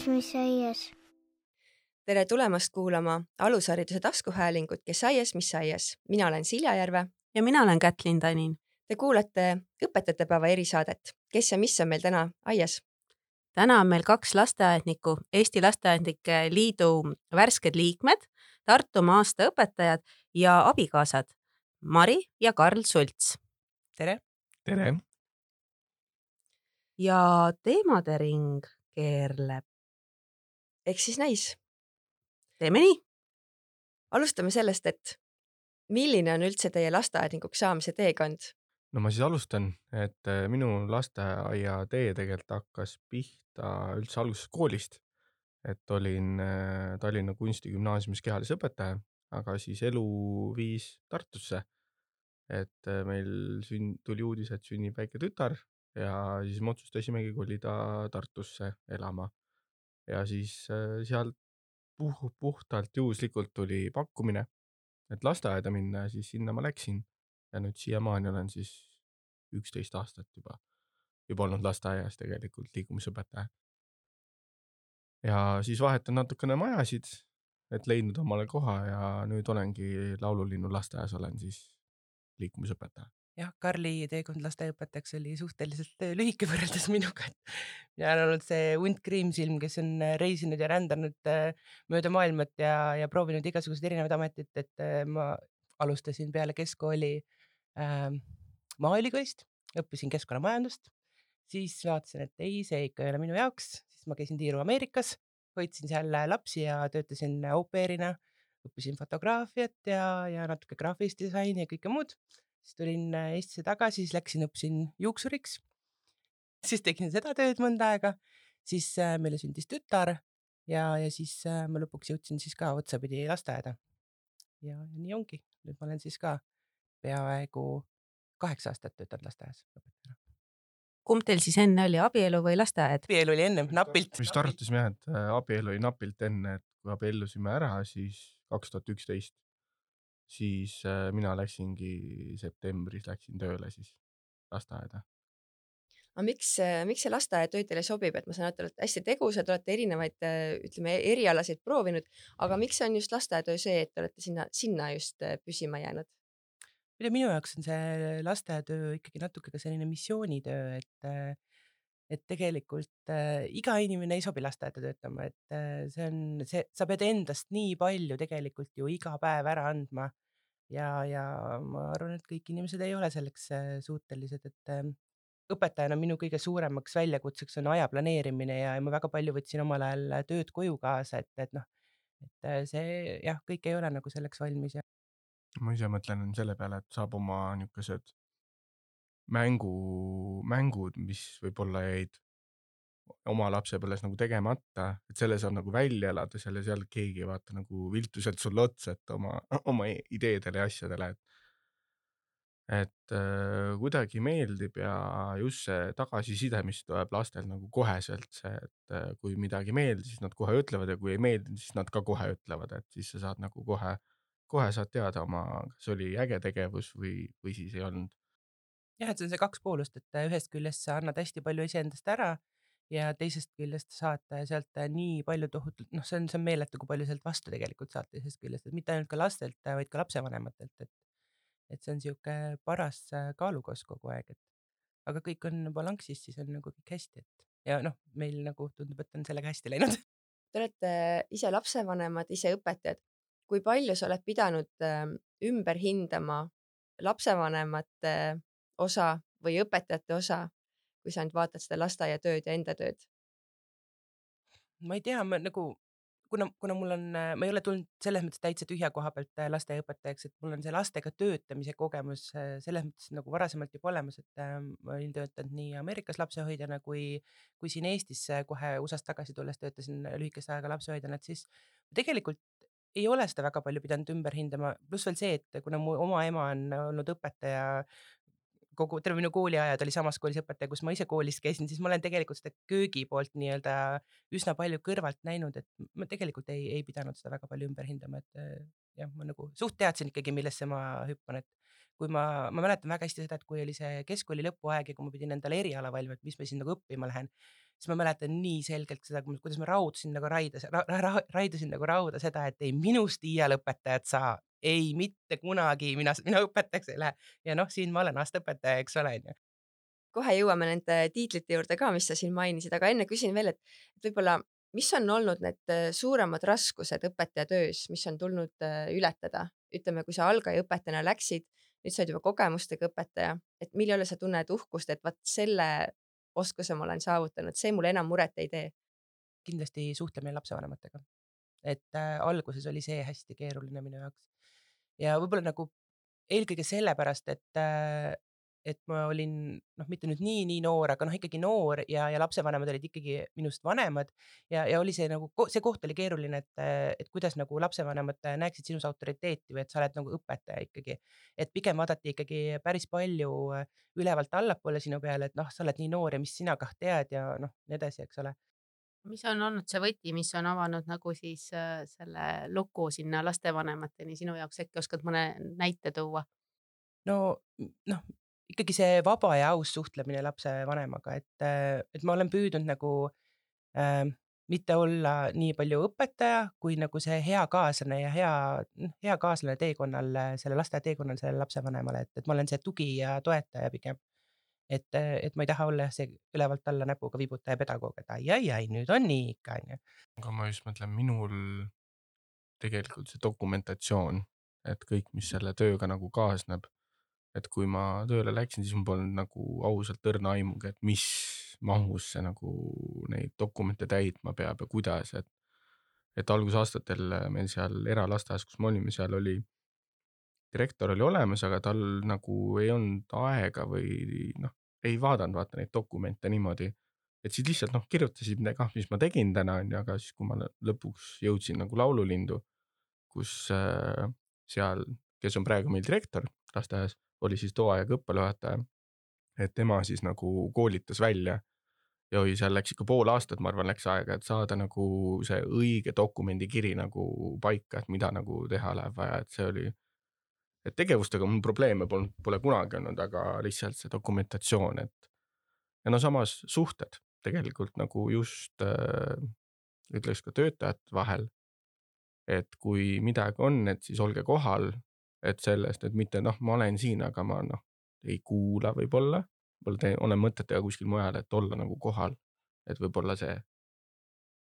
mis aias. Tere tulemast kuulama alushariduse taskuhäälingut Kes aias, mis aias. Mina olen Silja Järve. Ja mina olen Kätlin Tanin. Te kuulate õpetajate päeva erisaadet. Kes ja mis on meil täna aias? Täna on meil 2 lasteaednikku, Eesti Lasteaednike Liidu värsked liikmed, Tartumaa aastaõpetajad ja abikaasad Mari ja Karl Sults. Tere! Tere! Ja teemade ring keerleb. Eks siis näis. Teeme nii. Alustame sellest, et milline on üldse teie lasteaednikuks saamise teekond? No ma siis alustan, et minu lasteaia tee tegelikult hakkas pihta üldse alguses koolist, et olin Tallinna Kunstigümnaasiumis kehalisõpetaja, aga siis elu viis Tartusse, et meil tuli uudis, et sünnib väike tütar ja siis me otsustasimegi kolida Tartusse elama ja siis sealt puhtalt juhuslikult tuli pakkumine, et lasteaeda minna ja siis sinna ma läksin ja nüüd siiamaani olen siis 11 aastat juba olnud lasteaias tegelikult liikumisõpetaja. Ja siis vahetan natukene majasid, et leidnud omale koha ja nüüd olengi Laululinnu lasteaias olen siis liikumisõpetaja. Jah, Karli teekond lasteaiaõpetajaks oli suhteliselt lühike võrreldes minuga. Mina olen olnud see hunt kriimsilm, kes on reisinud ja rändanud mööda maailmat ja proovinud igasugused erinevad ametit, et ma alustasin peale keskkooli Maaülikoolist, õppisin keskkonnamajandust, siis vaatasin, et ei, see ikka ei ole minu jaoks, siis ma käisin tiiru Ameerikas, hoidsin seal lapsi ja töötasin au pair'ina, õppisin fotograafiat ja natuke graafilist disaini ja kõike muud. Siis tulin Eestisse tagasi, siis õppisin juuksuriks, siis tegin seda tööd mõnda aega, siis meile sündis tütar ja siis ma lõpuks jõudsin siis ka otsapidi lasteaeda. Ja nii ongi, nüüd ma olen siis ka peaaegu 8 aastat töötanud lasteaias õpetajana. Kumb teil siis enne oli, abielu või lasteaed? Abielu oli ennem, napilt. Vist arutasime jah, et abielu oli napilt enne, et kui abiellusime ära, siis 2011, siis mina läksingi septembris tööle siis lasteaeda. Aga miks see lasteaetöö teile sobib? Et ma saan, et te olete hästi tegusad, olete erinevaid erialasid proovinud, aga miks on just lasteaetöö see, et te olete sinna just püsima jäänud? Minu jaoks on see lasteaetöö ikkagi natuke ka selline missioonitöö, et tegelikult iga inimene ei sobi lasteaeda töötama, et sa pead endast nii palju tegelikult ju iga päev ära andma ja ma arvan, et kõik inimesed ei ole selleks suutelised, et õpetajana minu kõige suuremaks väljakutseks on aja planeerimine ja ma väga palju võtsin omal ajal tööd koju kaasa, et see jah, kõik ei ole nagu selleks valmis. Ma ise mõtlen selle peale, et saab oma niisugused mängud, mis võib-olla jäid oma lapsepõlves nagu tegemata, et selle saab nagu välja elada, seal keegi ei vaata nagu viltuselt sulle otsa, et oma ideedele ja asjadele, et kuidagi meeldib ja just see tagasiside, mis tuleb lastel nagu koheselt see, et kui midagi meeldis, siis nad kohe ütlevad ja kui ei meeldinud, siis nad ka kohe ütlevad, et siis sa saad nagu kohe saad teada kas oli äge tegevus või siis ei olnud. Jah, et see on see 2 poolust, et ühest küljest sa annad hästi palju iseendast ära ja teisest küljest saad sealt nii palju tohutult, see on meeletu, kui palju sealt vastu tegelikult saad teisest küljest, et mitte ainult ka lastelt, vaid ka lapsevanematelt, et see on siuke paras kaalukoos kogu aeg, aga kõik on balanssis, siis on nagu kõik hästi, ja meil nagu tundub, et on sellega hästi läinud. Te olete ise lapsevanemad, ise õpetajad. Kui palju sa oled pidanud ümber hindama lapsevanemate osa või õpetajate osa, kui sa nüüd vaatad seda lasteaiatööd ja enda tööd? Ma ei tea, kuna mul on, ma ei ole tulnud selles mõttes täitsa tühja koha pealt lasteaiaõpetajaks, et mul on see lastega töötamise kogemus selles mõttes nagu varasemalt juba olemas, et ma olin töötanud nii Ameerikas lapsehoidjana kui siin Eestis kohe USA-st tagasi tulles töötasin lühikest aega lapsehoidjana, et siis tegelikult ei ole seda väga palju pidanud ümber hindama, pluss veel see, et kuna mu oma ema on olnud õpetaja, terve minu kooliajad oli samas koolis õpetaja, kus ma ise koolis käisin, siis ma olen tegelikult seda köögi poolt nii-öelda üsna palju kõrvalt näinud, et ma tegelikult ei pidanud seda väga palju ümber hindama, et jah, ma nagu suht teadsin ikkagi, millesse ma hüppan, et kui ma mäletan väga hästi seda, et kui oli see keskkooli lõpuaeg ja kui ma pidin endale eriala valima, et mis ma siin nagu õppima lähen, siis ma mäletan nii selgelt seda, kuidas ma raidasin nagu rauda seda, et ei minust iial õpetajat saa, ei mitte kunagi mina õpetajaks ei lähe. Ja noh, siin ma olen aastaõpetaja, eks ole. kohe jõuame nende tiitlite juurde ka, mis sa siin mainisid, aga enne küsin veel, et võib-olla, mis on olnud need suuremad raskused õpetaja töös, mis on tulnud ületada? Ütleme, kui sa algaja õpetajana läksid, nüüd sa oled juba kogemustega õpetaja, et mille üle sa tunned uhkust, et vaat selle oskuse ma olen saavutanud, see mulle enam muret ei tee. Kindlasti suhtlemine lapsevanematega. Et alguses oli see hästi keeruline minu jaoks. Ja võib-olla nagu eelkõige sellepärast, et ma olin mitte nüüd nii noor, aga ikkagi noor ja lapsevanemad olid ikkagi minust vanemad ja oli see nagu, see koht oli keeruline, et kuidas nagu lapsevanemad näeksid sinus autoriteeti või et sa oled nagu õpetaja ikkagi. Et pigem vaadati ikkagi päris palju ülevalt allapoole sinu peale, et sa oled nii noor ja mis sina kah tead ja nii edasi, eks ole. mis on olnud see võti, mis on avanud nagu siis selle luku sinna lastevanemateni sinu jaoks, äkki oskad mõne näite tuua? Ikkagi see vaba ja aus suhtlemine lapsevanemaga, et ma olen püüdnud nagu mitte olla nii palju õpetaja, kui nagu see hea kaaslane ja hea kaaslane teekonnal, selle lasteaia teekonnal sellele lapsevanemale, et ma olen see tugi ja toetaja pigem. Et ma ei taha olla see ülevalt alla näpuga vibutaja pedagoog, et ai, nüüd on nii ikka, onju. aga ma just mõtlen, minul tegelikult see dokumentatsioon, et kõik, mis selle tööga nagu kaasneb, et kui ma tööle läksin, siis mul polnud nagu ausalt õrna aimugi, et mis mahus see nagu neid dokumente täitma peab ja kuidas, et algusaastatel meil seal eralasteaias, kus me olime, seal oli direktor oli olemas, aga tal nagu ei olnud aega või ei vaadanud vaata neid dokumente niimoodi, et siis lihtsalt kirjutasid midagi, mis ma tegin täna, aga siis kui ma lõpuks jõudsin nagu laululindu, kus seal, kes on praegu meil direktor lasteaias, oli siis too aeg õppejuhataja, et tema siis nagu koolitas välja ja seal läks ikka pool aastat, ma arvan, läks aega, et saada nagu see õige dokumendikiri nagu paika, et mida nagu teha läheb vaja, et see oli, et tegevustega mul probleeme pole kunagi olnud, aga lihtsalt see dokumentatsioon, et ja samas suhted tegelikult nagu just ütleks ka töötajate vahel, et kui midagi on, et siis olge kohal, et sellest, et mitte ma olen siin, aga ma ei kuula võib-olla olen mõtetega kuskil mujal, et olla nagu kohal, et võib-olla see.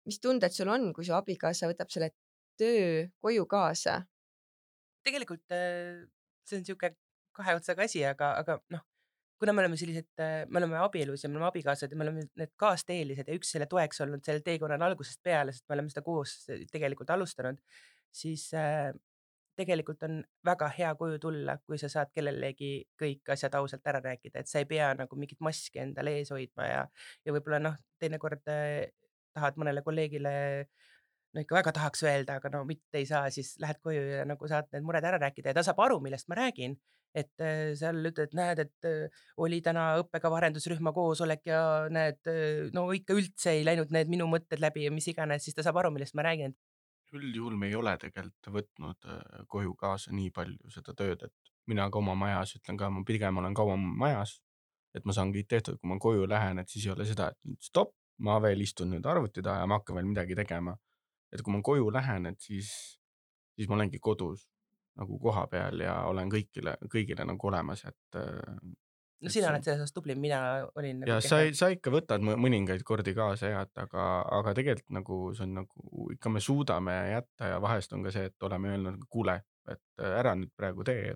Mis tunded sul on, kui su abikaasa võtab selle töö koju kaasa? Tegelikult see on niisugune kahe otsaga asi, aga kuna me oleme sellised, me oleme abielus ja me oleme abikaasad ja me oleme need kaasteelised ja üks selle toeks olnud sellel teekonnal algusest peale, sest me oleme seda koos tegelikult alustanud, siis tegelikult on väga hea koju tulla, kui sa saad kellelegi kõik asjad ausalt ära rääkida, et sa ei pea nagu mingit maski endale ees hoidma ja võib-olla teinekord tahad mõnele kolleegile ikka väga tahaks öelda, aga mitte ei saa, siis lähed koju ja nagu saad need mured ära rääkida ja ta saab aru, millest ma räägin. Et seal ütled, näed, et oli täna õppekava arendusrühma koosolek ja näed, ikka üldse ei läinud need minu mõtted läbi ja mis iganes, siis ta saab aru, millest ma räägin. Üldjuhul me ei ole tegelikult võtnud koju kaasa nii palju seda tööd, et mina ka oma majas ütlen ka, ma pigem olen kauem majas, et ma saan kõik tehtud, kui ma koju lähen, et siis ei ole seda, et stopp, ma veel istun nüüd arvuti taha ja ma hakkan veel midagi tegema. Et kui ma koju lähen, et siis ma olengi kodus nagu koha peal ja olen kõigile nagu olemas, et Sina oled selles osas tubli, mina olin ja sa ikka võtad mõningaid kordi kaasa jah, aga tegelikult nagu see on nagu ikka me suudame jätta ja vahest on ka see, et oleme öelnud, kuule, et ära nüüd praegu tee,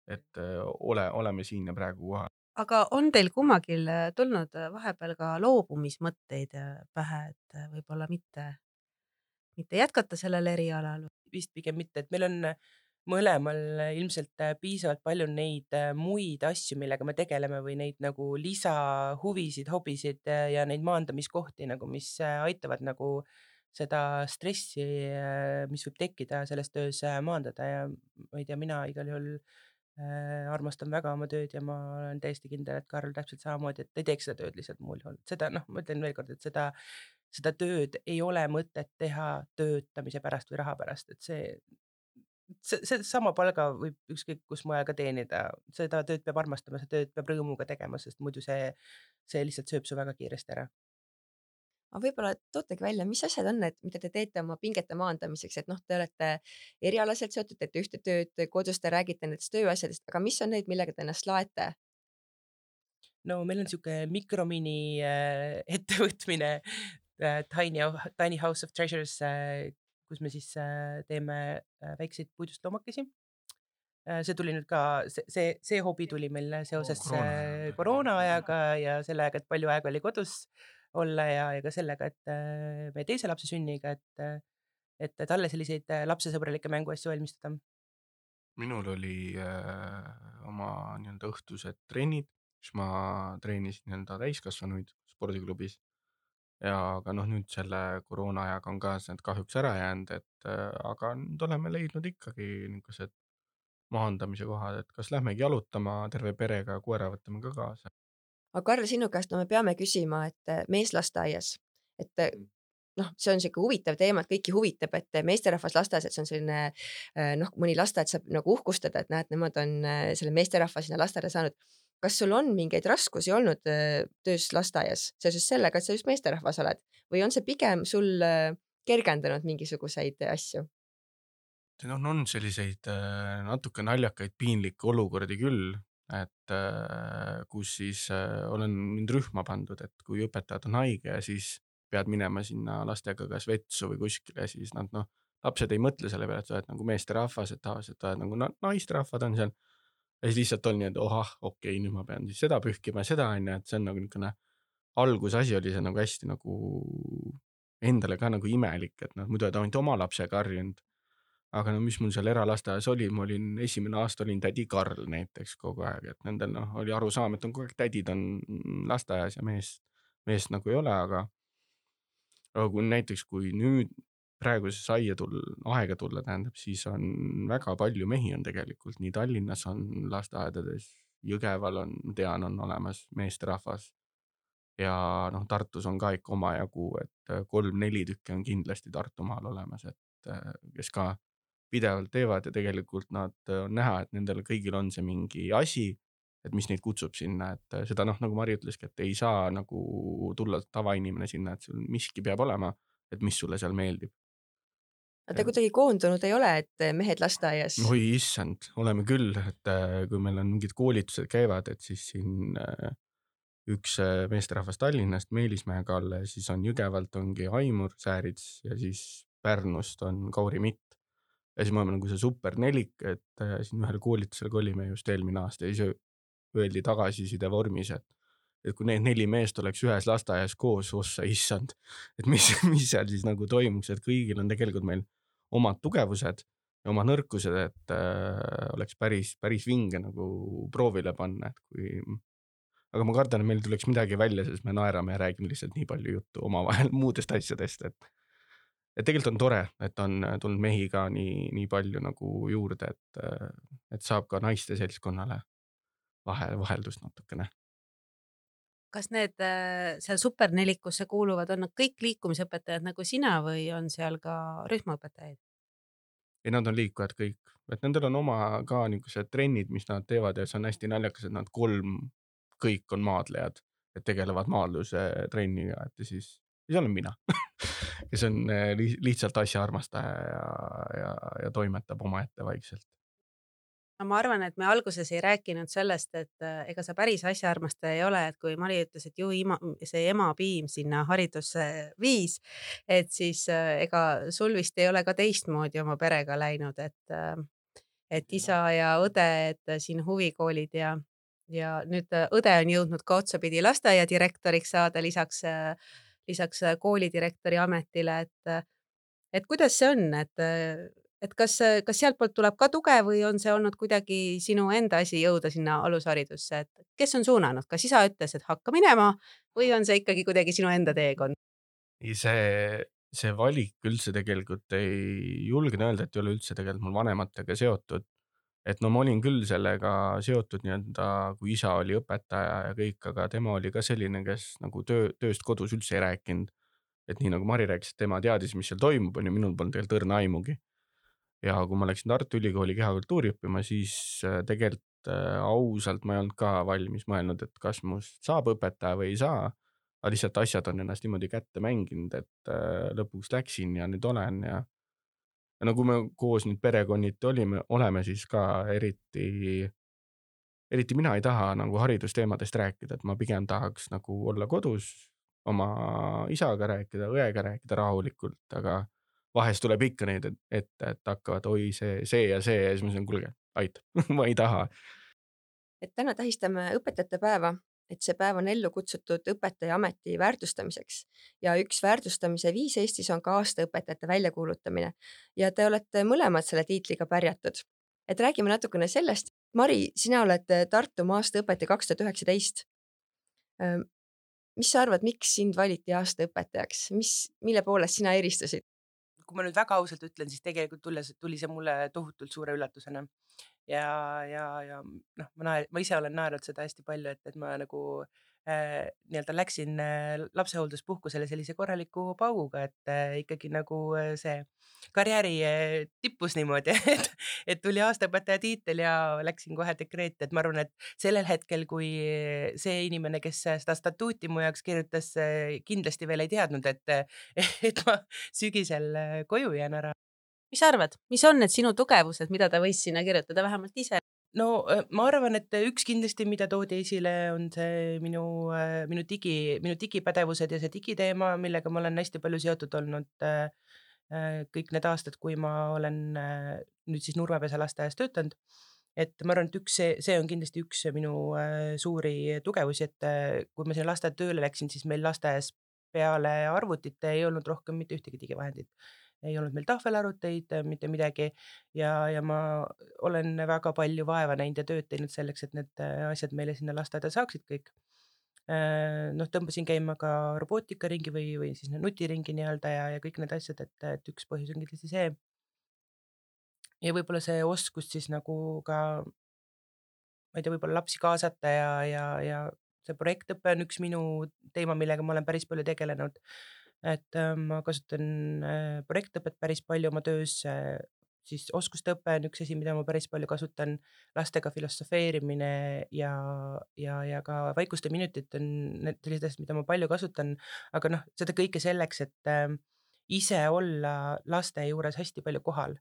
et oleme siin ja praegu kohal. aga on teil kummagil tulnud vahepeal ka loobumismõtteid pähe, et võib-olla mitte jätkata sellel erialal? Vist pigem mitte, et meil on mõlemal ilmselt piisavalt palju neid muid asju, millega me tegeleme või neid nagu lisahuvisid, hobisid ja neid maandamiskohti nagu, mis aitavad nagu seda stressi, mis võib tekkida selles töös maandada ja ma ei tea, mina igal juhul armastan väga oma tööd ja ma olen täiesti kindel, et Karl täpselt samamoodi, et ei teeks seda tööd lihtsalt muul juhul. Seda ma ütlen veel kord, et seda tööd ei ole mõtet teha töötamise pärast või raha pärast, et see sama palga võib ükskõik kus mujal ka teenida, seda tööd peab armastama, seda tööd peab rõõmuga tegema, sest muidu see lihtsalt sööb su väga kiiresti ära. aga võib-olla tootegi välja, mis asjad on need, mida te teete oma pingete maandamiseks, et noh, te olete erialaselt seotud, teete ühte tööd, kodus te räägite nendest tööasjadest, aga mis on need, millega te ennast laete? No meil on siuke mikromini ettevõtmine Tiny House of Treasures, kus me siis teeme väikseid puidust loomakesi. See tuli nüüd ka, see hobi tuli meil seoses koroona ajaga ja sellega, et palju aega oli kodus olla ja ka sellega, et meie teise lapse sünniga, et talle selliseid lapsesõbralikke mänguasju valmistada. minul oli oma nii-öelda õhtused trennid, kus ma treenisin nii-öelda täiskasvanuid spordiklubis ja aga noh, nüüd selle koroona ajaga on ka see kahjuks ära jäänud, et aga nüüd oleme leidnud ikkagi niisugused maandamise kohad, et kas lähmegi jalutama terve perega, koera võtame ka kaasa. aga Karl, sinu käest no me peame küsima, et meeslasteaias, et noh, see on siuke huvitav teema, et kõiki huvitab, et meesterahvas lasteaias, et see on selline noh, mõni lasteaed saab nagu uhkustada, et näed, nemad on selle meesterahva sinna lasteaeda saanud. Kas sul on mingeid raskusi olnud töös lasteaias seoses sellega, et sa just meesterahvas oled või on see pigem sul kergendanud mingisuguseid asju? Siin on selliseid natuke naljakaid piinlikke olukordi küll, et kus siis olen mind rühma pandud, et kui õpetajad on haige ja siis pead minema sinna lastega kas vetsu või kuskile, siis nad lapsed ei mõtle selle peale, et sa oled nagu meesterahvas, et tavaliselt oled nagu naisterahvad on seal. Ja siis lihtsalt on nii, et okei, nüüd ma pean siis seda pühkima ja seda on, et see on nagu niisugune algusasi oli see nagu hästi nagu endale ka nagu imelik, et muidu oled ainult oma lapsega harjunud. Aga no mis mul seal eralasteaias oli, ma olin esimene aasta olin tädi Karl näiteks kogu aeg, et nendel oli arusaam, et on kogu aeg tädid on lasteaias ja meest nagu ei ole, aga kui näiteks, kui nüüd praegusesse aega tulla, tähendab, siis on väga palju mehi on tegelikult, nii Tallinnas on lasteaedades, Jõgeval on, tean, on olemas meesterahvas ja noh, Tartus on ka ikka omajagu, et 3-4 tükki on kindlasti Tartumaal olemas, et kes ka pidevalt teevad ja tegelikult nad on näha, et nendel kõigil on see mingi asi, et mis neid kutsub sinna, et seda nagu Mari ütleski, et ei saa nagu tulla tavainimene sinna, et sul miski peab olema, et mis sulle seal meeldib. Te kuidagi koondunud ei ole, et mehed lasteaias? Oi issand, oleme küll, et kui meil on mingid koolitused käivad, et siis siin üks meesterahvas Tallinnast, Meelismäe Kalle, siis on Jõgevalt ongi Aimur Säärits ja siis Pärnust on Kauri Mitt. Ja siis me oleme nagu see super nelik, et siin ühel koolitusel olime just eelmine aasta ja siis öeldi tagasiside vormis, et kui need 4 meest oleks ühes lasteaias koos, ossa issand, et mis seal siis nagu toimuks, et kõigil on tegelikult meil omad tugevused ja omad nõrkused, et oleks päris vinge nagu proovile panna, et kui aga ma kardan, et meil tuleks midagi välja, sest me naerame ja räägime lihtsalt nii palju juttu omavahel muudest asjadest, et tegelikult on tore, et on tulnud mehi ka nii palju nagu juurde, et saab ka naiste seltskonnale vaheldust natukene. Kas need seal supernelikusse kuuluvad, on nad kõik liikumisõpetajad nagu sina või on seal ka rühmaõpetajaid? Ja nad on liikujad kõik, et nendel on oma ka niisugused trennid, mis nad teevad ja see on hästi naljakas, et nad 3 kõik on maadlejad, et tegelevad maadluse trenniga, et siis olen mina, kes on lihtsalt asja armastaja ja toimetab omaette vaikselt. No ma arvan, et me alguses ei rääkinud sellest, et ega sa päris asjaarmastaja ei ole, et kui Mari ütles, et ju see emapiim sinna haridusse viis, et siis ega sul vist ei ole ka teistmoodi oma perega läinud, et isa ja õde, et siin huvikoolid ja nüüd õde on jõudnud ka otsapidi lasteaia direktoriks saada lisaks koolidirektori ametile, et kuidas see on, et kas sealtpoolt tuleb ka tuge või on see olnud kuidagi sinu enda asi jõuda sinna alusharidusse, et kes on suunanud, kas isa ütles, et hakka minema või on see ikkagi kuidagi sinu enda teekond? See valik üldse tegelikult ei julgen öelda, et ei ole üldse tegelikult mul vanematega seotud. Et no ma olin küll sellega seotud nii-öelda, kui isa oli õpetaja ja kõik, aga tema oli ka selline, kes nagu tööst kodus üldse ei rääkinud. Et nii nagu Mari rääkis, et tema teadis, mis seal toimub, on ju, minul polnud tegelikult õrna aimugi. Ja kui ma läksin Tartu Ülikooli kehakultuuri õppima, siis tegelikult ausalt ma ei olnud ka valmis mõelnud, et kas must saab õpetaja või ei saa. aga lihtsalt asjad on ennast niimoodi kätte mänginud, et lõpuks läksin ja nüüd olen ja kui me koos nüüd perekonniti oleme, siis ka eriti mina ei taha nagu haridusteemadest rääkida, et ma pigem tahaks nagu olla kodus, oma isaga rääkida, õega rääkida rahulikult, aga vahest tuleb ikka neid ette, et hakkavad oi see ja siis ma ütlen, kuulge, aitab, ma ei taha. Et täna tähistame õpetajate päeva, et see päev on ellu kutsutud õpetaja ameti väärtustamiseks ja üks väärtustamise viis Eestis on ka aastaõpetajate väljakuulutamine ja te olete mõlemad selle tiitliga pärjatud. Et räägime natukene sellest. Mari, sina oled Tartumaa aastaõpetaja 2019. Mis sa arvad, miks sind valiti aastaõpetajaks? Mille poolest sina eristusid? Kui ma nüüd väga ausalt ütlen, siis tegelikult tuli see mulle tohutult suure üllatusena. Ja ma ise olen naernud seda hästi palju, et ma nagu nii-öelda läksin lapsehoolduspuhkusele sellise korraliku pauguga, et ikkagi nagu see karjääri tippus niimoodi, et tuli aastaõpetaja tiitel ja läksin kohe dekreeti, et ma arvan, et sellel hetkel, kui see inimene, kes seda statuuti mu jaoks kirjutas, kindlasti veel ei teadnud, et ma sügisel koju jään ära. Mis sa arvad, mis on need sinu tugevused, mida ta võis sinna kirjutada vähemalt ise? No ma arvan, et üks kindlasti, mida toodi esile, on see minu digipädevused ja see digiteema, millega ma olen hästi palju seotud olnud kõik need aastad, kui ma olen nüüd siis Nurmepesa lasteaias töötanud. Et ma arvan, et see on kindlasti üks minu suuri tugevusi, et kui ma sinna lasteaeda tööle läksin, siis meil lasteaias peale arvutite ei olnud rohkem mitte ühtegi digivahendit. Ei olnud meil tahvelarvuteid, mitte midagi ja ma olen väga palju vaeva näinud ja tööd teinud selleks, et need asjad meile sinna lasteaeda saaksid kõik. Tõmbasin käima ka robootikaringi või siis nutiringi nii-öelda ja kõik need asjad, et üks põhjus on kindlasti see. Ja võib-olla see oskus siis nagu ka, ma ei tea, võib-olla lapsi kaasata ja see projektõpe on üks minu teema, millega ma olen päris palju tegelenud. Et ma kasutan projektõpet päris palju oma töös, siis oskuste õpe on üks asi, mida ma päris palju kasutan, lastega filosofeerimine ja ka vaikuste minutid on need sellised asjad, mida ma palju kasutan, aga seda kõike selleks, et ise olla laste juures hästi palju kohal.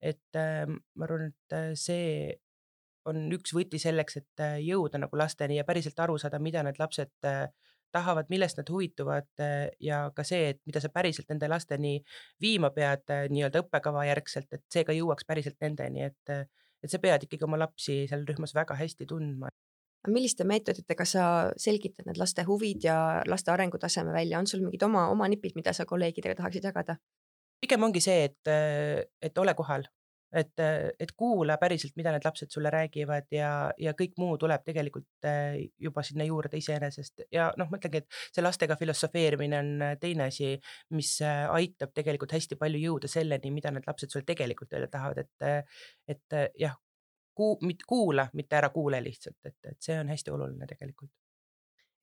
Et ma arvan, et see on üks võti selleks, et jõuda nagu lasteni ja päriselt aru saada, mida need lapsed tahavad, millest nad huvituvad ja ka see, et mida sa päriselt nende lasteni viima pead nii-öelda õppekava järgselt, et see ka jõuaks päriselt nendeni, et sa pead ikkagi oma lapsi seal rühmas väga hästi tundma. Milliste meetoditega sa selgitad need laste huvid ja laste arengutaseme välja? On sul mingid oma nipid, mida sa kolleegidega tahaksid jagada? Pigem ongi see, et ole kohal. Et kuula päriselt, mida need lapsed sulle räägivad ja kõik muu tuleb tegelikult juba sinna juurde iseenesest ja ma ütlengi, et see lastega filosofeerimine on teine asi, mis aitab tegelikult hästi palju jõuda selleni, mida need lapsed sulle tegelikult öelda tahavad, et jah, kuula, mitte ära kuule lihtsalt, et see on hästi oluline tegelikult.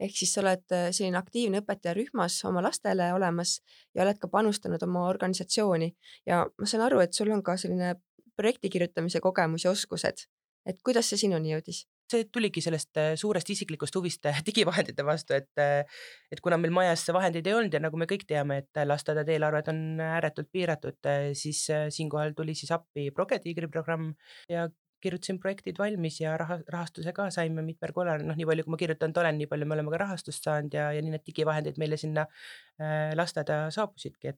Ehk siis sa oled selline aktiivne õpetaja rühmas oma lastele olemas ja oled ka panustanud oma organisatsiooni ja ma saan aru, et sul on ka selline projekti kirjutamise kogemus ja oskused. Et kuidas see sinuni jõudis? See tuligi sellest suurest isiklikust huvist digivahendite vastu, et kuna meil majas vahendeid ei olnud ja nagu me kõik teame, et lasteaedade eelarved on ääretult piiratud, siis siinkohal tuli siis appi Progetiigri programm ja kirjutasin projektid valmis ja rahastuse ka saime mitmel korral, nii palju kui ma kirjutanud olen, nii palju me oleme ka rahastust saanud ja nii need digivahendid meile sinna lasteaeda saabusidki,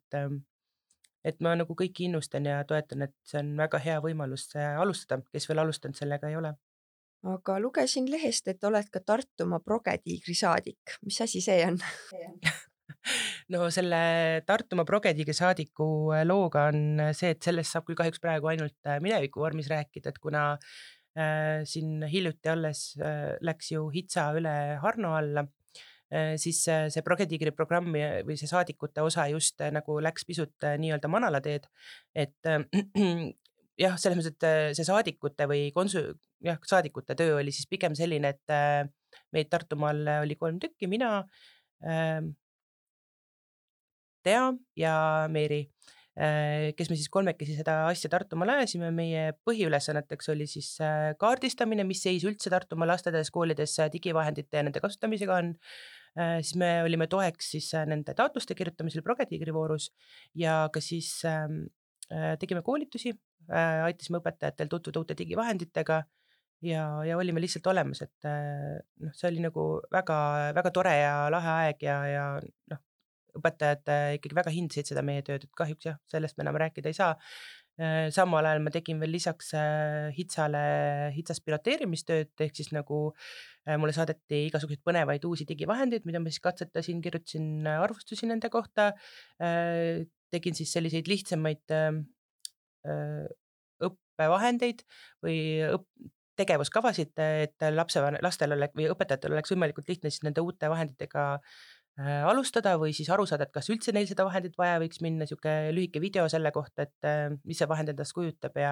et ma nagu kõiki innustan ja toetan, et see on väga hea võimalus alustada, kes veel alustanud sellega ei ole. Aga lugesin lehest, et oled ka Tartumaa Progetiigri saadik. Mis asi see on? No selle Tartumaa Progetiigri saadiku looga on see, et sellest saab küll kahjuks praegu ainult mineviku vormis rääkida, et kuna siin hiljuti alles läks ju HITSA üle Harno alla, siis see Progetiigri programmi või see saadikute osa just nagu läks pisut nii-öelda manalateed, et jah, selles mõttes, et see saadikute või saadikute töö oli siis pigem selline, et meid Tartumaal oli 3 tükki, mina, Tea ja Meeri, kes me siis kolmekesi seda asja Tartumaal ajasime. Meie põhiülesanneteks oli siis kaardistamine, mis seis üldse Tartumaa lasteaias, koolides digivahendite ja nende kasutamisega on. siis me olime toeks siis nende taotluste kirjutamisel Progetiigri voorus ja ka siis tegime koolitusi, aitasime õpetajatel tutvuda uute digivahenditega ja olime lihtsalt olemas, et noh, see oli nagu väga tore ja lahe aeg ja noh, õpetajad ikkagi väga hindasid seda meie tööd, et kahjuks jah, sellest me enam rääkida ei saa. Samal ajal ma tegin veel lisaks HITSAs piloteerimistööd, ehk siis nagu mulle saadeti igasuguseid põnevaid uusi digivahendeid, mida ma siis katsetasin, kirjutasin arvustusi nende kohta, tegin siis selliseid lihtsamaid õppevahendeid või tegevuskavasid, et lastel või õpetajatel oleks võimalikult lihtne siis nende uute vahenditega alustada või siis aru saada, et kas üldse neil seda vahendit vaja võiks minna, siuke lühike video selle kohta, et mis see vahend endast kujutab ja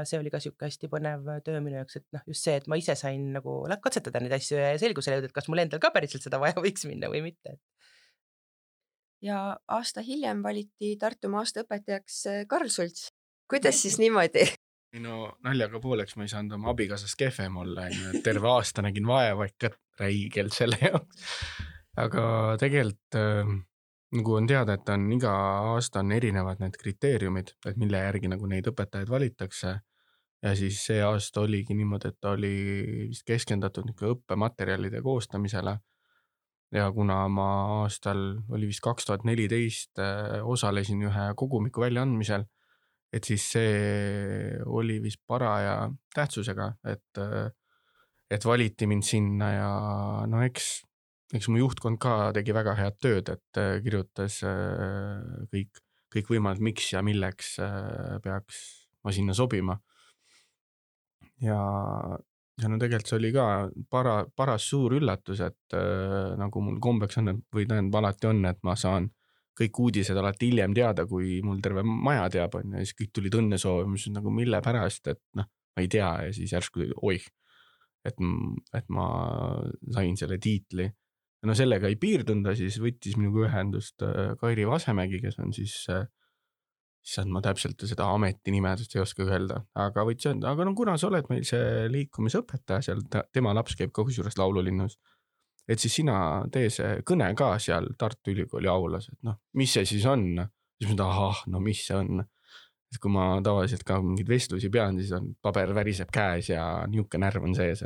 see oli ka siuke hästi põnev töö minu jaoks, et noh, just see, et ma ise sain nagu katsetada neid asju ja selgusele jõuda, et kas mul endal ka päriselt seda vaja võiks minna või mitte. Ja aasta hiljem valiti Tartumaa aasta õpetajaks Karl Sults. Kuidas siis niimoodi? No naljaga pooleks ma ei saanud oma abikaasast kehvem olla, terve aasta nägin vaeva ikka räigelt selle jaoks. Aga tegelikult nagu on teada, et iga aasta on erinevad need kriteeriumid, et mille järgi nagu neid õpetajaid valitakse. Ja siis see aasta oligi niimoodi, et oli vist keskendatud õppematerjalide koostamisele. Ja kuna ma aastal oli vist 2014 osalesin ühe kogumiku väljaandmisel, et siis see oli vist paraja tähtsusega, et valiti mind sinna ja no eks mu juhtkond ka tegi väga head tööd, et kirjutas kõik võimalikud, miks ja milleks peaks ma sinna sobima. Ja no tegelikult see oli ka paras suur üllatus, et nagu mul kombeks on, või tähendab alati on, et ma saan kõik uudised alati hiljem teada, kui mul terve maja teab, ja siis kõik tulid õnne soovimus, nagu mille pärast, et noh, ma ei tea, ja siis järsku oih, et ma sain selle tiitli. No sellega ei piirdunud, siis võttis minuga ühendust Kairi Vasemägi, kes on siis ma täpselt seda ametinimedust ei oska öelda, aga võiks öelda, aga no kuna sa oled meil see liikumisõpetaja seal, tema laps käib ka kusjuures laululinnus, et siis sina tee see kõne ka seal Tartu Ülikooli aulas, et noh, mis see siis on? Siis ma no mis see on? Et kui ma tavaliselt ka mingeid vestlusi pean, siis on paber väriseb käes ja niuke närv on sees,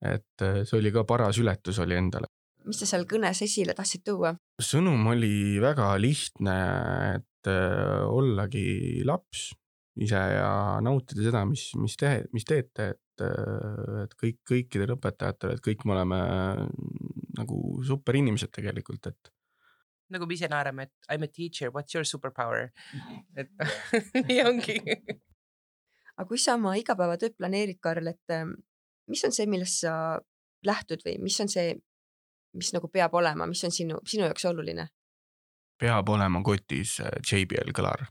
et see oli ka paras ületus oli endale. Mis sa seal kõnes esile tahtsid tuua? Sõnum oli väga lihtne, et ollagi laps ise ja nautida seda, mis teete, et kõikidel õpetajatel, et kõik me oleme nagu super inimesed tegelikult, et nagu me ise naerame, et I'm a teacher, what's your superpower? Et nii ongi. Aga kui sa oma igapäevatööd planeerid, Karl, et mis on see, millest sa lähtud või mis on see, mis nagu peab olema, mis on sinu jaoks oluline? Peab olema kotis JBL kõlar.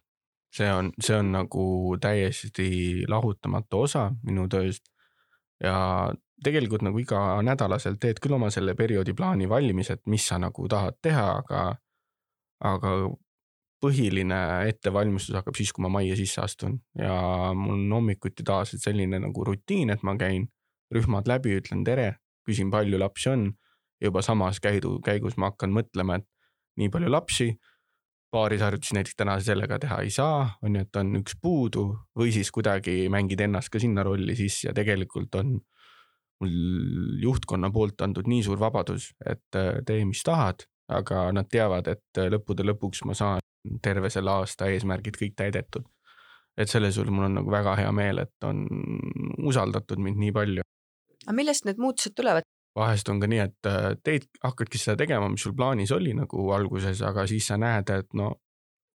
See on nagu täiesti lahutamatu osa minu tööst ja tegelikult nagu iga nädalaselt teed küll oma selle perioodi plaani valmis, et mis sa nagu tahad teha, aga põhiline ettevalmistus hakkab siis, kui ma majja sisse astun ja mul on hommikuti taas selline nagu rutiin, et ma käin rühmad läbi, ütlen tere, küsin palju lapsi on, juba samas käigus ma hakkan mõtlema, et nii palju lapsi, paarisharjutusi näiteks täna sellega teha ei saa, on ju, et on üks puudu või siis kuidagi mängid ennast ka sinna rolli sisse ja tegelikult on mul juhtkonna poolt antud nii suur vabadus, et tee mis tahad, aga nad teavad, et lõppude lõpuks ma saan terve selle aasta eesmärgid kõik täidetud. Et selle sul mul on nagu väga hea meel, et on usaldatud mind nii palju. Aga millest need muutused tulevad? Vahest on ka nii, et teid hakkadki seda tegema, mis sul plaanis oli nagu alguses, aga siis sa näed, et no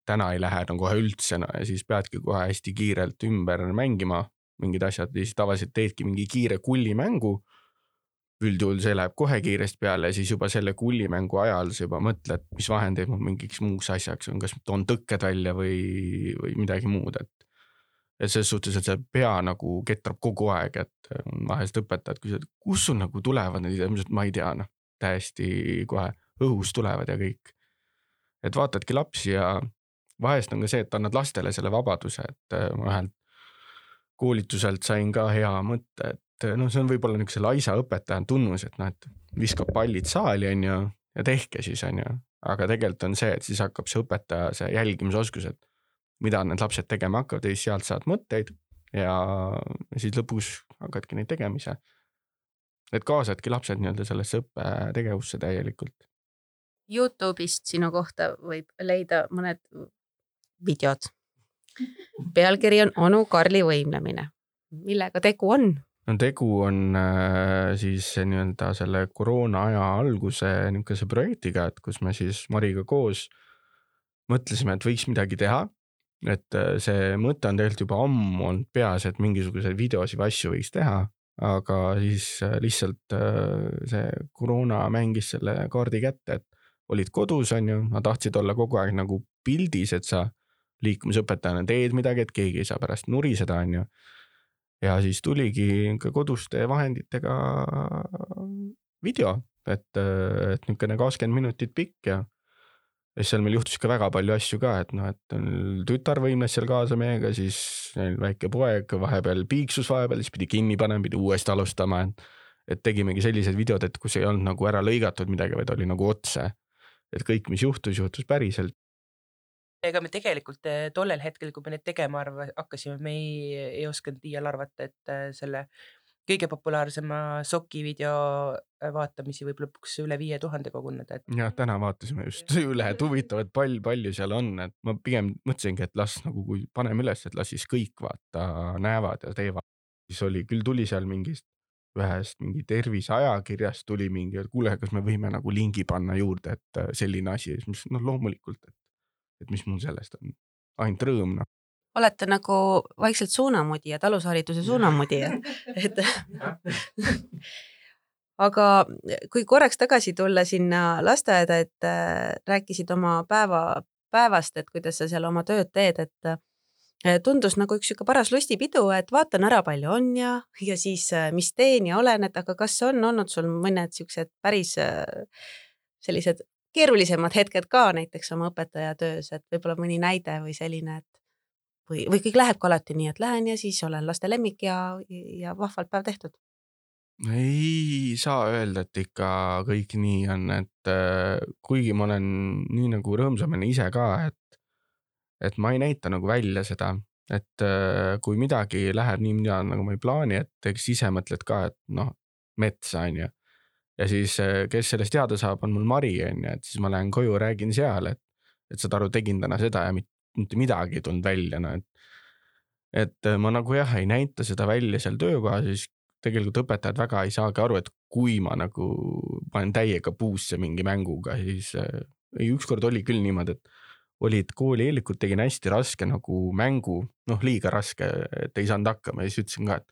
täna ei lähe no kohe üldse ja siis peadki kohe hästi kiirelt ümber mängima mingid asjad ja siis tavaliselt teedki mingi kiire kullimängu. Üldjuhul see läheb kohe kiiresti peale ja siis juba selle kullimängu ajal sa juba mõtled, mis vahendeid mul mingiks muuks asjaks on, kas toon tõkked välja või midagi muud, et selles suhtes, et see pea nagu ketrab kogu aeg, et vahest õpetad, kus sul nagu tulevad need, ma ei tea, täiesti kohe õhus tulevad ja kõik. Et vaatadki lapsi ja vahest on ka see, et annad lastele selle vabaduse, et ma ühelt koolituselt sain ka hea mõtte, noh, see on võib-olla niisuguse laisa õpetaja tunnus, et noh, et viskab pallid saali on ju ja tehke siis on ju, aga tegelikult on see, et siis hakkab see õpetaja see jälgimisoskus, et mida need lapsed tegema hakkavad ja siis sealt saad mõtteid ja siis lõpus hakkadki neid tegemise. Et kaasadki lapsed nii-öelda sellesse õppetegevusse täielikult. Youtube'ist sinu kohta võib leida mõned videod. Pealkiri on Onu Karli võimlemine. Millega tegu on? No tegu on siis nii-öelda selle koroona aja alguse niisuguse projektiga, et kus me siis Mariga koos mõtlesime, et võiks midagi teha. Et see mõte on tegelikult juba ammu olnud peas, et mingisuguseid videosid või asju võiks teha, aga siis lihtsalt see koroona mängis selle kaardi kätte, et olid kodus on ju, nad tahtsid olla kogu aeg nagu pildis, et sa liikumisõpetajana teed midagi, et keegi ei saa pärast nuriseda on ju. Ja siis tuligi ka koduste vahenditega video, et niisugune 20 minutit pikk ja seal meil juhtus ka väga palju asju ka, et noh, et tütar võimles seal kaasa meiega, siis väike poeg vahepeal piiksus vahepeal, siis pidi kinni panema, pidi uuesti alustama, et tegimegi sellised videod, et kus ei olnud nagu ära lõigatud midagi, vaid oli nagu otse, et kõik, mis juhtus päriselt. Ega me tegelikult tollel hetkel, kui me neid tegema hakkasime, me ei osanud iial arvata, et selle kõige populaarsema soki video vaatamisi võib lõpuks üle 5000 koguneda. Ja täna vaatasime just üle, et huvitav, et palju seal on, et ma pigem mõtlesingi, et las nagu kui paneme üles, et las siis kõik vaata näevad ja teevad. Siis tuli seal ühest mingi terviseajakirjast tuli mingi, et kuule, kas me võime nagu lingi panna juurde, et selline asi, mis loomulikult, et mis mul sellest on, ainult rõõm. Olete nagu vaikselt suunamudijad, alushariduse suunamudijad. Aga kui korraks tagasi tulla sinna lasteaeda, et rääkisid oma päevast, et kuidas sa seal oma tööd teed, et tundus nagu üks paras lustipidu, et vaatan ära palju on ja siis mis teen ja olen, et aga kas on olnud sul mõned siuksed päris sellised keerulisemad hetked ka näiteks oma õpetaja töös, et võib-olla mõni näide või selline, et või kõik lähebki alati nii, et lähen ja siis olen laste lemmik ja vahvalt päev tehtud? Ei saa öelda, et ikka kõik nii on, et kuigi ma olen nii nagu rõõmsamene ise ka, et ma ei näita nagu välja seda, et kui midagi läheb nii, nagu ma ei plaani, et eks ise mõtled ka, et noh, metsa on ju. Ja siis, kes sellest teada saab, on mul Mari on ju, et siis ma lähen koju, räägin seal, et saad aru, tegin täna seda ja mitte midagi ei tulnud välja, no et ma nagu jah, ei näita seda välja seal töökohas, siis tegelikult õpetajad väga ei saagi aru, et kui ma nagu panen täiega puusse mingi mänguga, siis ükskord oli küll niimoodi, et olid kooli eellikud, tegin hästi raske nagu mängu, noh liiga raske, et ei saanud hakkama ja siis ütlesin ka, et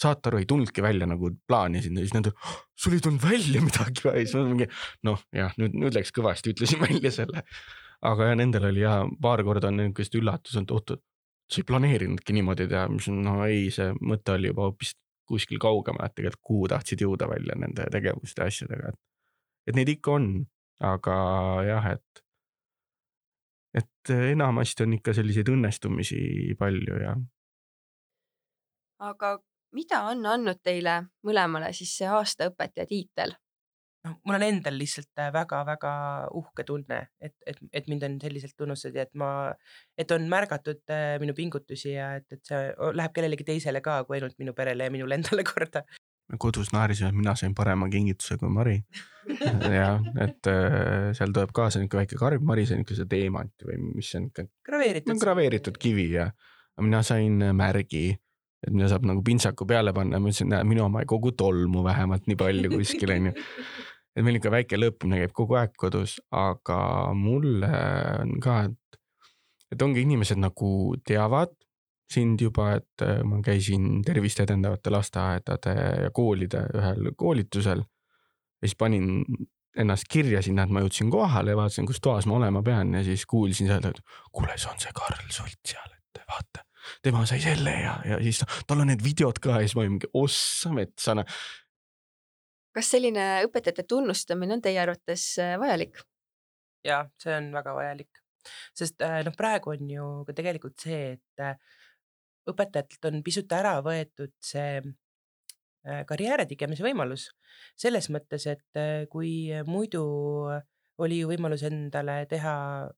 saate aru, ei tulnudki välja nagu plaanisin ja siis nende, sul ei tulnud välja midagi või, siis mingi, noh jah, nüüd läks kõvasti, ütlesin välja selle. Aga ja nendel oli ja paar korda on niisugust üllatus, et oot, sa ei planeerinudki niimoodi teha, mis no ei, see mõte oli juba hoopis kuskil kaugema, et tegelikult kuhu tahtsid jõuda välja nende tegevuste ja asjadega. Et neid ikka on, aga jah, et enamasti on ikka selliseid õnnestumisi palju ja. Aga mida on andnud teile mõlemale siis see aasta õpetaja tiitel? Mul on endal lihtsalt väga-väga uhke tunne, et mind on selliselt tunnustatud ja et on märgatud minu pingutusi ja et see läheb kellelegi teisele ka kui ainult minu perele ja minule endale korda. Kodus naarisime, et mina sain parema kingituse kui Mari. Ja, et seal tuleb kaasa niisugune väike karv, Mari sai niisugune teemant või mis on graveeritud kivi ja mina sain märgi, et mina saab nagu pintsaku peale panna, ma ütlesin, minu oma ei kogu tolmu vähemalt nii palju kuskil on ju. Et meil ikka väike lõõpimine käib kogu aeg kodus, aga mulle on ka, et ongi inimesed nagu teavad sind juba, et ma käisin tervist edendavate lasteaedade ja koolide ühel koolitusel ja siis panin ennast kirja sinna, et ma jõudsin kohale ja vaatasin, kus toas ma olema pean ja siis kuulsin seal, et kuule, see on see Karl Sult seal, et vaata, tema sai selle ja siis tal on need videod ka ja siis ma olin mingi ossa metsana. Kas selline õpetajate tunnustamine on teie arvates vajalik? Ja, see on väga vajalik, sest praegu on ju ka tegelikult see, et õpetajatelt on pisut ära võetud see karjääri tegemise võimalus. Selles mõttes, et kui muidu oli ju võimalus endale teha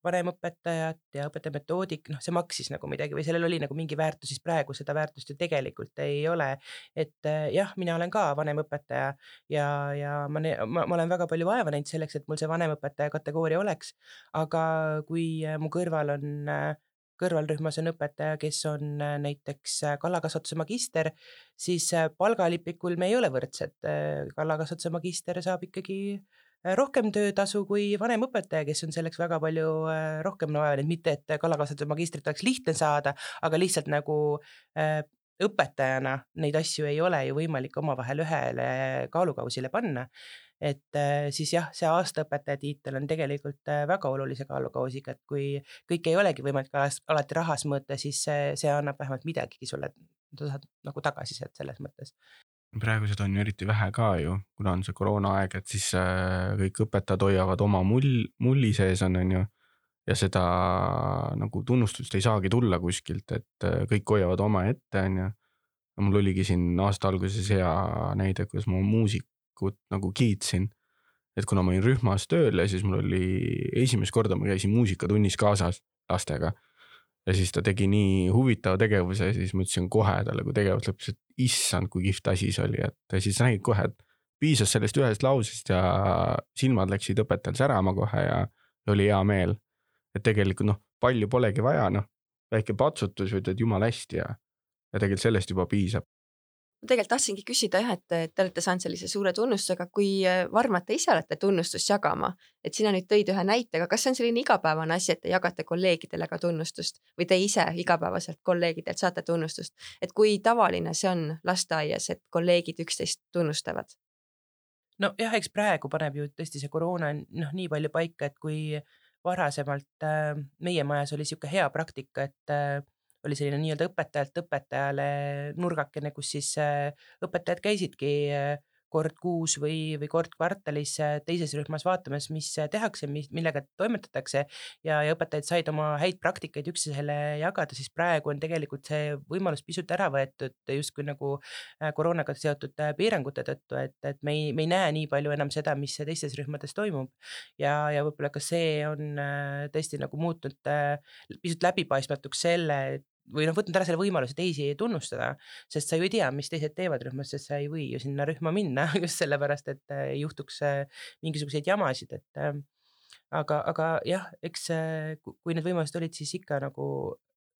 vanemõpetajat ja õpetajametoodik, see maksis nagu midagi või sellel oli nagu mingi väärtus, siis praegu seda väärtust ju tegelikult ei ole. Et jah, mina olen ka vanemõpetaja ja ma olen väga palju vaeva näinud selleks, et mul see vanemõpetaja kategooria oleks, aga kui mu kõrvalrühmas on õpetaja, kes on näiteks kalakasvatuse magister, siis palgalipikul me ei ole võrdsed. Kalakasvatuse magister saab ikkagi rohkem töötasu kui vanemõpetaja, kes on selleks väga palju rohkem vaevanud, mitte et kalakasvatuse magistrit oleks lihtne saada, aga lihtsalt nagu õpetajana neid asju ei ole ju võimalik omavahel ühele kaalukausile panna. Et siis jah, see aastaõpetaja tiitel on tegelikult väga olulise kaalukausiga, et kui kõik ei olegi võimalik alati rahas mõõta, siis see annab vähemalt midagigi sulle, saad nagu tagasisidet selles mõttes. Praegu seda on ju eriti vähe ka ju, kuna on see koroonaaeg, et siis kõik õpetajad hoiavad oma mulli sees on ju, ja seda nagu tunnustust ei saagi tulla kuskilt, et kõik hoiavad oma ette on ju. Mul oligi siin aasta alguses hea näide, kuidas ma muusikut nagu kiitsin, et kuna ma olin rühmas tööl ja siis mul oli esimest korda ma käisin muusikatunnis kaasas lastega. Ja siis ta tegi nii huvitava tegevuse ja siis ma ütlesin kohe talle, kui tegevus lõppes, et issand, kui kihvt asi see oli, et siis nägid kohe, et piisas sellest ühest lausest ja silmad läksid õpetajal särama kohe ja oli hea meel. Et tegelikult palju polegi vaja, väike patsutus või teed jumal hästi ja tegelikult sellest juba piisab. Ma tegelikult tahtsingi küsida jah, et te olete saanud sellise suure tunnustusega, kui varmad te ise olete tunnustust jagama, et sina nüüd tõid ühe näitega, kas see on selline igapäevane asi, et te jagate kolleegidele ka tunnustust või te ise igapäevaselt kolleegidelt saate tunnustust, et kui tavaline see on lasteaias, et kolleegid üksteist tunnustavad? No jah, eks praegu paneb ju tõesti see koroona nii palju paika, et kui varasemalt meie majas oli siuke hea praktika, et oli selline nii-öelda õpetajalt õpetajale nurgakene, kus siis õpetajad käisidki kord kuus või kord kvartalis teises rühmas vaatamas, mis tehakse, millega toimetatakse ja õpetajad said oma häid praktikaid üksteisele jagada, siis praegu on tegelikult see võimalus pisut ära võetud justkui nagu koroonaga seotud piirangute tõttu, et me ei näe nii palju enam seda, mis teistes rühmades toimub ja võib-olla ka see on tõesti nagu muutnud pisut läbipaistmatuks selle, või võtnud ära selle võimaluse teisi tunnustada, sest sa ju ei tea, mis teised teevad rühmas, sest sa ei või ju sinna rühma minna just sellepärast, et ei juhtuks mingisuguseid jamasid, et aga jah, eks kui need võimalused olid, siis ikka nagu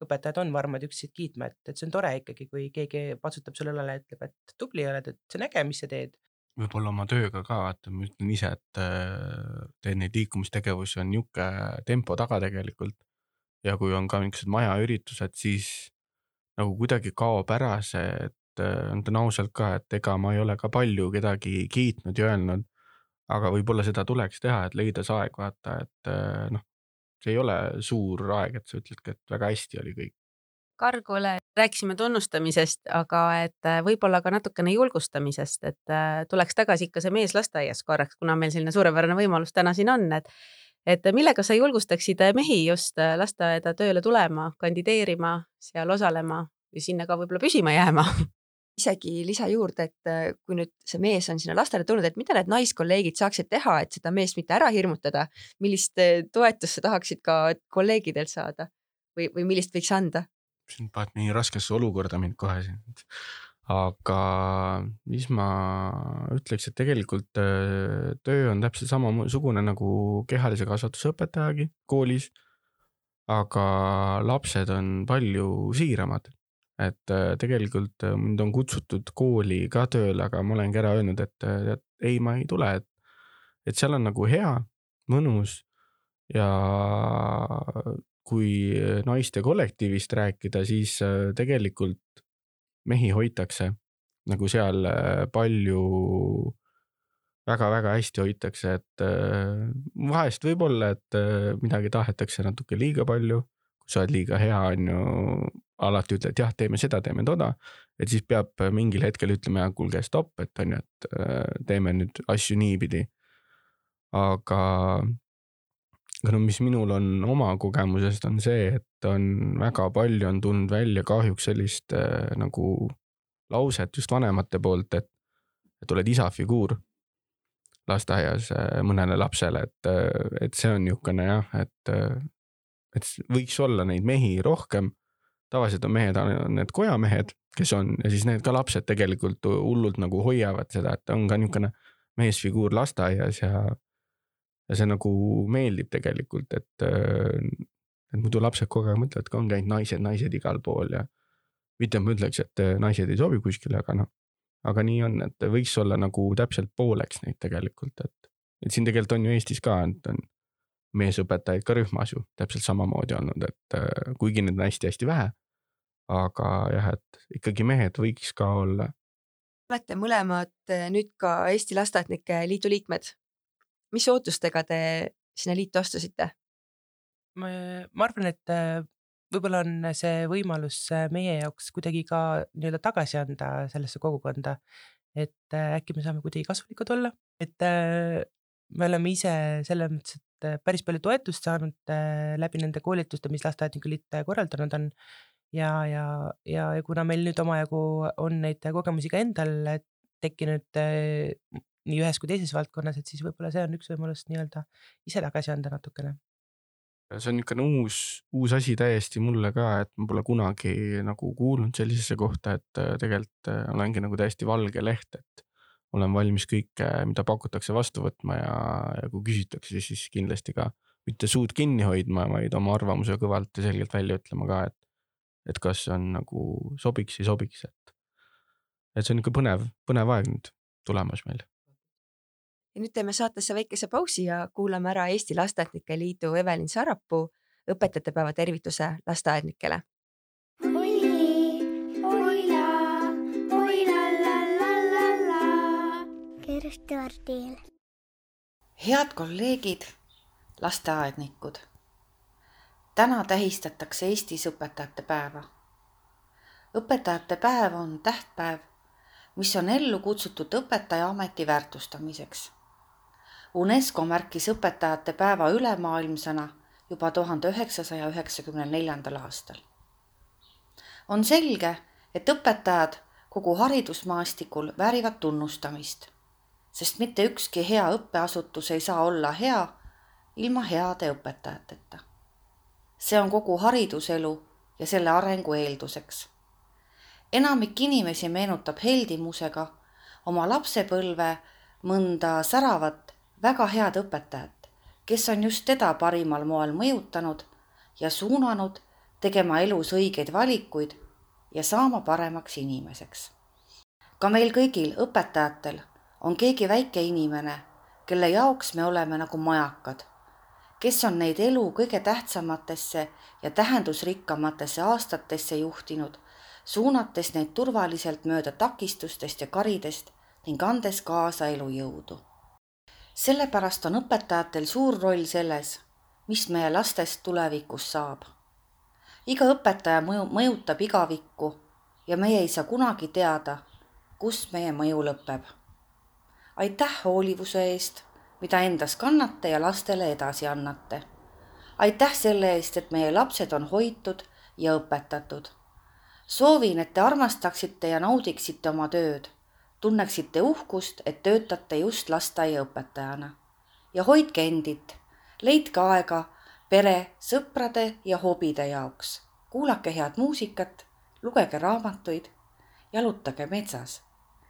õpetajad on varmad üksteist kiitma, et see on tore ikkagi, kui keegi patsutab sulle õlale ja ütleb, et tubli oled, et see on äge, mis sa teed. Võib-olla oma tööga ka, vaata, ma ütlen ise, et teen neid liikumistegevusi on niuke tempo taga tegelikult. Ja kui on ka mingisugused majaüritused, siis nagu kuidagi kaob ära see, et on ausalt ka, et ega ma ei ole ka palju kedagi kiitnud ja öelnud, aga võib-olla seda tuleks teha, et leida see aeg, vaata, et see ei ole suur aeg, et sa ütledki, et väga hästi oli kõik. Kargule rääkisime tunnustamisest, aga et võib-olla ka natukene julgustamisest, et tuleks tagasi ikka see mees lasteaias korraks, kuna meil selline suurepärane võimalus täna siin on, et millega sa julgustaksid mehi just lasteaeda tööle tulema, kandideerima, seal osalema ja sinna ka võib-olla püsima jääma? Isegi lisa juurde, et kui nüüd see mees on sinna lastele tulnud, et mida need naiskolleegid saaksid teha, et seda meest mitte ära hirmutada, millist toetust sa tahaksid ka kolleegidelt saada või millist võiks anda? Siin paned nii raskesse olukorda mind kohe siin. Aga mis ma ütleks, et tegelikult töö on täpselt samasugune nagu kehalise kasvatuse õpetajagi koolis, aga lapsed on palju siiramad. Et tegelikult mind on kutsutud kooli ka tööle, aga ma olengi ära öelnud, et ei, ma ei tule, et seal on nagu hea, mõnus ja kui naiste kollektiivist rääkida, siis tegelikult mehi hoitakse nagu seal palju väga-väga hästi hoitakse, et vahest võib-olla, et midagi tahetakse natuke liiga palju, kui sa oled liiga hea, on ju, alati ütled, jah, teeme seda, teeme toda, et siis peab mingil hetkel ütlema, kuulge, stopp, et on ju, et teeme nüüd asju niipidi. Aga mis minul on oma kogemusest on see, et on väga palju on tulnud välja kahjuks sellist nagu lauset just vanemate poolt, et et oled isa figuur lasteaias mõnele lapsele, et see on niisugune jah, et võiks olla neid mehi rohkem. Tavaliselt on mehed, on need kojamehed, kes on, ja siis need ka lapsed tegelikult hullult nagu hoiavad seda, et on ka niisugune meesfiguur lasteaias ja see nagu meeldib tegelikult, et muidu lapsed kogu aeg mõtlevad, et on käinud naised igal pool ja mitte ma ütleks, et naised ei sobi kuskile, aga nii on, et võiks olla nagu täpselt pooleks neid tegelikult, et siin tegelikult on ju Eestis ka, et on meesõpetajaid ka rühmas ju täpselt samamoodi olnud, et kuigi need on hästi-hästi vähe, aga jah, et ikkagi mehed võiks ka olla. Olete mõlemad nüüd ka Eesti Lasteaednike Liidu liikmed. Mis ootustega te sinna liitu astusite? Ma arvan, et võib-olla on see võimalus meie jaoks kuidagi ka nii-öelda tagasi anda sellesse kogukonda, et äkki me saame kuidagi kasulikud olla, et me oleme ise selles mõttes, et päris palju toetust saanud läbi nende koolituste, mis Lasteaednike Liit korraldanud on ja kuna meil nüüd omajagu on neid kogemusi ka endal tekkinud nii ühes kui teises valdkonnas, et siis võib-olla see on üks võimalus nii-öelda ise tagasi anda natukene. See on niisugune uus asi täiesti mulle ka, et ma pole kunagi nagu kuulnud sellisesse kohta, et tegelikult olengi nagu täiesti valge leht, et olen valmis kõike, mida pakutakse vastu võtma ja kui küsitakse, siis kindlasti ka mitte suud kinni hoidma, vaid oma arvamuse kõvalt ja selgelt välja ütlema ka, et kas on nagu sobiks või sobiks, et see on niisugune põnev aeg nüüd tulemas meil. Ja nüüd teeme saatesse väikese pausi ja kuulame ära Eesti Lasteaednike Liidu Evelin Sarapuu õpetajate päeva tervituse lasteaednikele. Head kolleegid, lasteaednikud. Täna tähistatakse Eestis õpetajate päeva. Õpetajate päev on tähtpäev, mis on ellu kutsutud õpetaja ameti väärtustamiseks. UNESCO märkis õpetajate päeva ülemaailmsena juba 1994. aastal. On selge, et õpetajad kogu haridusmaastikul väärivad tunnustamist, sest mitte ükski hea õppeasutus ei saa olla hea ilma heade õpetajateta. See on kogu hariduselu ja selle arengu eelduseks. Enamik inimesi meenutab heldimusega oma lapsepõlve mõnda säravat, väga head õpetajat, kes on just teda parimal moel mõjutanud ja suunanud tegema elus õigeid valikuid ja saama paremaks inimeseks. Ka meil kõigil õpetajatel on keegi väike inimene, kelle jaoks me oleme nagu majakad, kes on neid elu kõige tähtsamatesse ja tähendusrikkamatesse aastatesse juhtinud, suunates neid turvaliselt mööda takistustest ja karidest ning andes kaasa elujõudu. Sellepärast on õpetajatel suur roll selles, mis meie lastest tulevikus saab. Iga õpetaja mõjutab igavikku ja meie ei saa kunagi teada, kus meie mõju lõpeb. Aitäh hoolivuse eest, mida endas kannate ja lastele edasi annate. Aitäh selle eest, et meie lapsed on hoitud ja õpetatud. Soovin, et te armastaksite ja naudiksite oma tööd, tunneksite uhkust, et töötate just lasteaiaõpetajana. Ja hoidke endit, leidke aega pere, sõprade ja hobide jaoks. Kuulake head muusikat, lugege raamatuid, jalutage metsas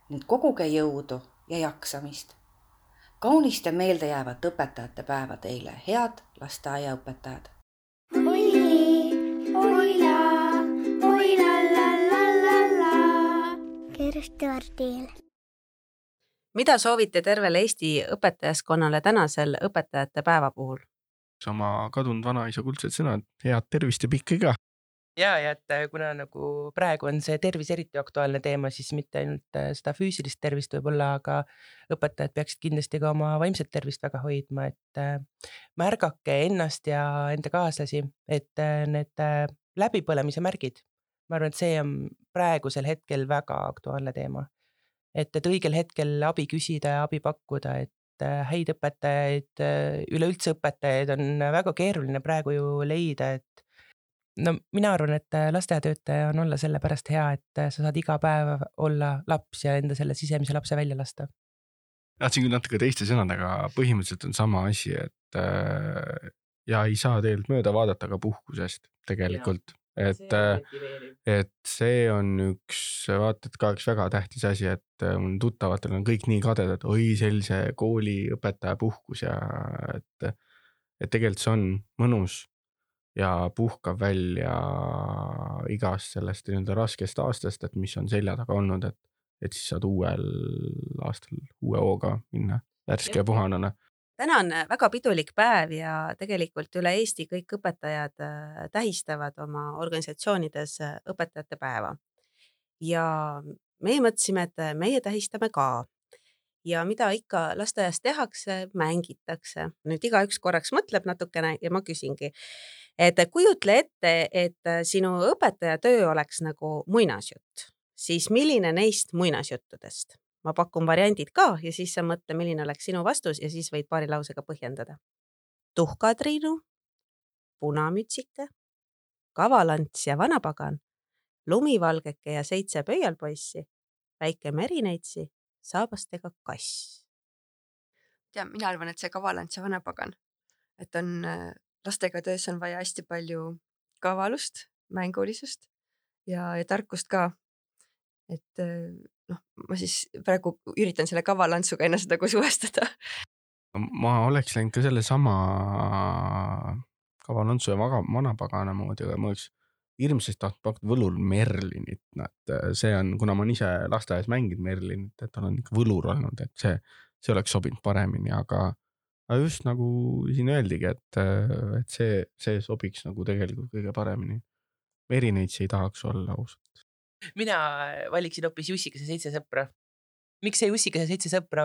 ning koguge jõudu ja jaksamist. Kaunist ja meeldejäävat õpetajate päeva teile, head lasteaiaõpetajad! Mida soovite tervele Eesti õpetajaskonnale tänasel õpetajate päeva puhul? Sama kadunud vanaisa kuldsed sõnad, head tervist ja pikki ka! Ja et kuna nagu praegu on see tervis eriti aktuaalne teema, siis mitte ainult seda füüsilist tervist võib-olla, aga õpetajad peaksid kindlasti ka oma vaimset tervist väga hoidma, et märgake ennast ja enda kaaslasi, et need läbipõlemise märgid, ma arvan, et see on praegusel hetkel väga aktuaalne teema, et õigel hetkel abi küsida ja abi pakkuda, et häid õpetajaid, üleüldse õpetajaid on väga keeruline praegu ju leida, et no mina arvan, et lasteaiatöötaja on olla sellepärast hea, et sa saad iga päev olla laps ja enda selle sisemise lapse välja lasta. Tahtsin küll natuke teiste sõnadega, põhimõtteliselt on sama asi, et ja ei saa tegelikult mööda vaadata ka puhkusest tegelikult. Et see on vaata, et ka üks väga tähtis asi, et mul tuttavatel on kõik nii kadedad, oi sellise kooliõpetaja puhkus ja et tegelikult see on mõnus ja puhkab välja igast sellest nii-öelda raskest aastast, et mis on selja taga olnud, et siis saad uuel aastal uue hooga minna värske ja puhanana. Täna on väga pidulik päev ja tegelikult üle Eesti kõik õpetajad tähistavad oma organisatsioonides õpetajate päeva. Ja meie mõtlesime, et meie tähistame ka. Ja mida ikka lasteaias tehakse, mängitakse. Nüüd igaüks korraks mõtleb natukene ja ma küsingi, et kujutle ette, et sinu õpetaja töö oleks nagu muinasjutt, siis milline neist muinasjuttudest? Ma pakun variandid ka ja siis sa mõtle, milline oleks sinu vastus ja siis võid paari lausega põhjendada. Tuhkatriinu, punamütsike, kavalants ja vanapagan, lumivalgeke ja 7 pöialpoissi, väike merineitsi, saabastega kass. Mina arvan, et see kavalants ja vanapagan, et on lastega töös on vaja hästi palju kavalust, mängulisust ja tarkust ka. Et ma siis praegu üritan selle kavalantsuga ennast nagu suvestada. Ma oleks läinud ka selle sama kavalantsu ja vanapagana moodi, aga ma oleks hirmsasti tahtnud pakkuda võlur Merlinit. See on, kuna ma olen ise lasteaias mänginud Merlinit, et olen ikka võlur olnud, et see oleks sobinud paremini, aga just nagu siin öeldigi, et see sobiks nagu tegelikult kõige paremini. Merineitsi ei tahaks olla ausalt. Mina valiksin hoopis Jussikese 7 sõpra. Miks see Jussikese 7 sõpra?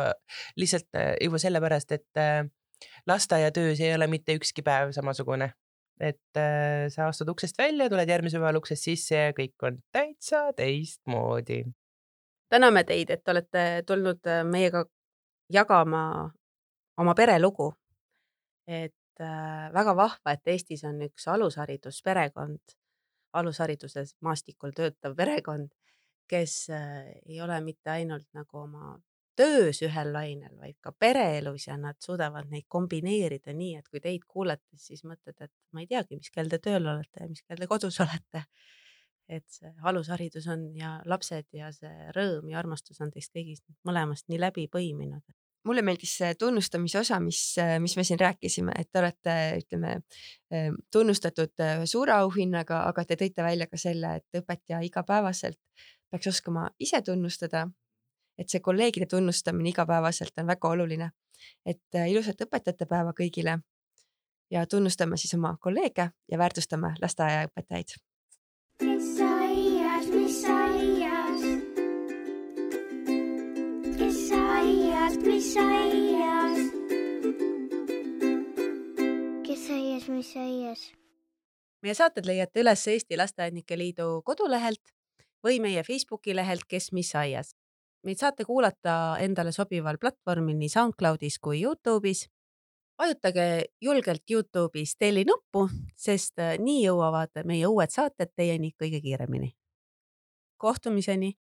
Lihtsalt juba sellepärast, et lasteaiatöös ei ole mitte ükski päev samasugune. Et sa astud uksest välja, tuled järgmise päeval uksest sisse ja kõik on täitsa teistmoodi. Täname teid, et olete tulnud meiega jagama oma perelugu. Et väga vahva, et Eestis on üks alusharidusperekond, alushariduses maastikul töötav perekond, kes ei ole mitte ainult nagu oma töös ühel lainel, vaid ka pereelus ja nad suudavad neid kombineerida nii, et kui teid kuulates, siis mõtled, et ma ei teagi, mis kell te tööl olete ja mis kell te kodus olete. Et see alusharidus on ja lapsed ja see rõõm ja armastus on teist kõigist mõlemast nii läbi põiminud. Mulle meeldis see tunnustamise osa, mis me siin rääkisime, et te olete, ütleme, tunnustatud suure auhinnaga, aga te tõite välja ka selle, et õpetaja igapäevaselt peaks oskama ise tunnustada, et see kolleegide tunnustamine igapäevaselt on väga oluline. Et ilusat õpetajate päeva kõigile ja tunnustame siis oma kolleege ja väärtustame lasteaiaõpetajaid. Mis aias? Mis aias? Meie saated leiate üles Eesti Lasteaednike Liidu kodulehelt või meie Facebooki lehelt Kes mis aias. Meid saate kuulata endale sobival platvormil nii SoundCloudis kui YouTube'is. Vajutage julgelt YouTube'is telli nuppu, sest nii jõuavad meie uued saated teieni kõige kiiremini. Kohtumiseni!